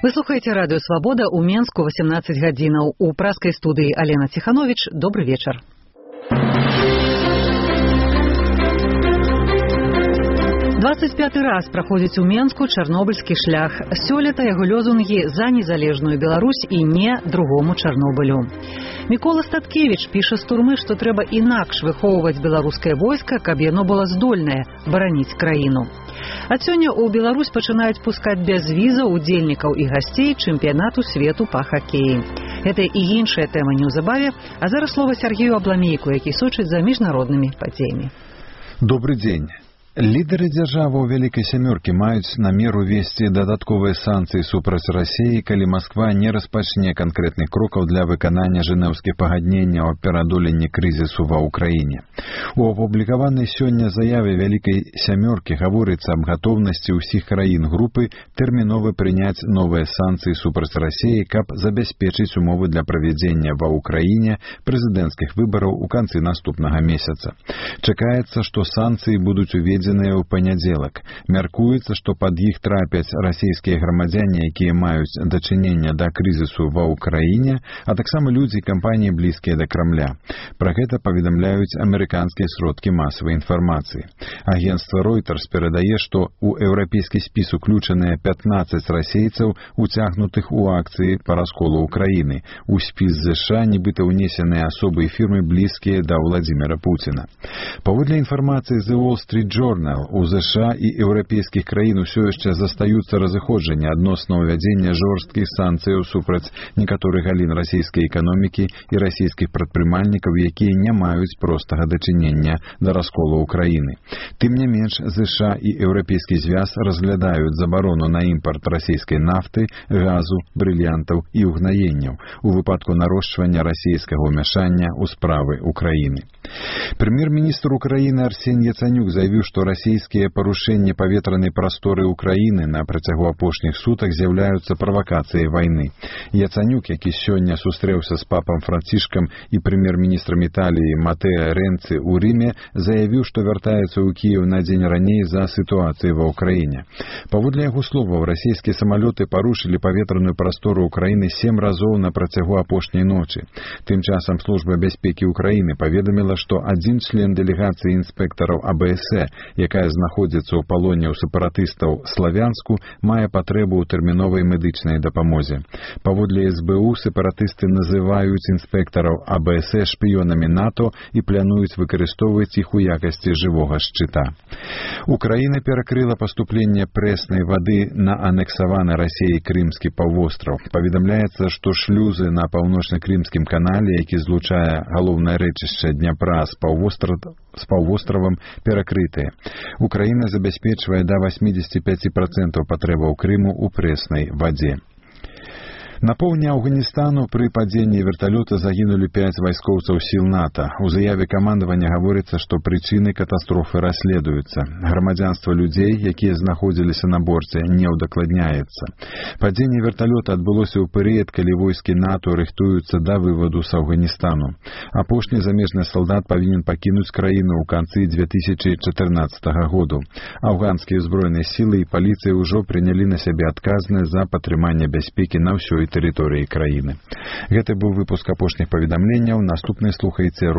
Вы слухаеце радыё «Свабода» ў Менску 18 гадзінаў. У праскай студыі Алена Ціхановіч. Добры вечар. «25-й раз праходзіць у Менску чарнобыльскі шлях. Сёлета яго лёзунгі за незалежную Беларусь і не другому Чарнобылю. Мікола Статкевіч піша з турмы, што трэба інакш выхоўваць беларускае войска, каб яно было здольнае бараніць краіну. Ад сёння ў Беларусь пачынаюць пускаць без візаў удзельнікаў і гасцей чэмпіянату свету па хакеі. Гэта і іншая тэма неўзабаве, а зараз слова Сергею Абламейку, які сочыць за міжнароднымі падзеямі. Добрый дзень. Лідары дзяржаваў Вялікай Сямёркі маюць намер увесці дадатковыя санкцыі супраць Расіі, калі Масква не распачне канкрэтных крокаў для выканання жэнеўскіх пагадненняў аб пераадоленні крызісу ва ўкраіне. У апублікаванай сёння заяве Вялікай Сямёркі гаворыцца аб гатоўнасці ўсіх краін групы тэрмінова прыняць новыя санкцыі супраць Расіі, каб забяспечыць умовы для правядзення ва ўкраіне прэзідэнцкіх выбараў у канцы наступнага месяца. Чакаецца, што санкцыі будуць уведзены ў панядзелак. Мяркуецца, што пад іх трапяць расійскія грамадзяне, якія маюць дачыненне да крызісу ва ўкраіне, а таксама людзі і кампаніі блізкія да Крамля. Пра гэта паведамляюць амерыканскія сродкі масавай інфармацыі. Агенцтва Reuters перадае, што ў еўрапейскі спіс уключаныя 15 расейцаў, уцягнутых у акцыі па расколу ўкраіны. У спіс ЗША нібыта ўнесеныя асобы і фірмы блізкія да Владзіміра Пуціна. Паводле інфармацыі The Wall Street Journal, у ЗША і еўрапейскіх краін усё яшчэ застаюцца разыходжанні адносна ўвядзення жорсткіх санкцыяў супраць некаторых галін расійскай эканомікі і расійскіх прадпрымальнікаў, якія не маюць простага дачынення да расколу ўкраіны. Тым не менш, ЗША і еўрапейскі звяз разглядаюць забарону на імпарт расійскай нафты, газу, брыльянтаў і угнаенняў у выпадку нарошчвання расійскага ўмяшання ў справы ўкраіны. Прэм'ер-міністр Украіны Арсень Яцанюк заявіў, што расійскія парушэнні паветранай прасторы ўкраіны на працягу апошніх сутак з'яўляюцца правакацыяй вайны. Яцанюк, які сёння сустрэўся з папам Францішкам і прэм'ер-міністрам Італіі Матэа Рэнцы ў Рыме, заявіў, што вяртаецца ў Кіеў на дзень раней за сітуацыяй ва ўкраіне. Паводле яго словаў, расійскія самалёты парушылі паветраную прастору ўкраіны 7 разоў на працягу апошняй ночы. Тым часам Служба бяспекі ўкраіны паведаміла, што адзін член дэлегацыі інспектараў АБС, якая знаходзіцца ў палоне ў сепаратыстаў Славянску, мае патрэбу ў тэрміновай медычнай дапамозе. Паводле СБУ, сепаратысты называюць інспектараў АБС шпіёнамі НАТО і плануюць выкарыстоўваць іх у якасці жывога шчыта. Украіна перакрыла паступленне прэснай вады на анексаваны Расіяй Крымскі паўвостраў. Паведамляецца, што шлюзы на паўночна-крымскім канале, які злучае галоўнае рэчышча Дняпра з паўвостравам, перакрытыя. Украіна забяспечвае да 85% патрэбаў Крыму ў прэснай вадзе. На поўдні Афганістану пры падзенні верталёта загінулі 5 вайскоўцаў сіл НАТО. У заяве камандавання гаворыцца, што прычыны катастрофы расследуюцца. Грамадзянства людзей, якія знаходзіліся на борце, не ўдакладняецца. Падзенне верталёта адбылося ў перыяд, калі войскі НАТО рыхтуюцца да вываду з Афганістану. Апошні замежны салдат павінен пакінуць краіну ў канцы 2014 году. Афганскія ўзброеныя сілы і паліцыя ўжо прынялі на сябе адказнасць за падтрыманне бяспекі на ўсёй тэрыторыі краіны. Гэта быў выпуск апошніх паведамленняў. Наступны слухайце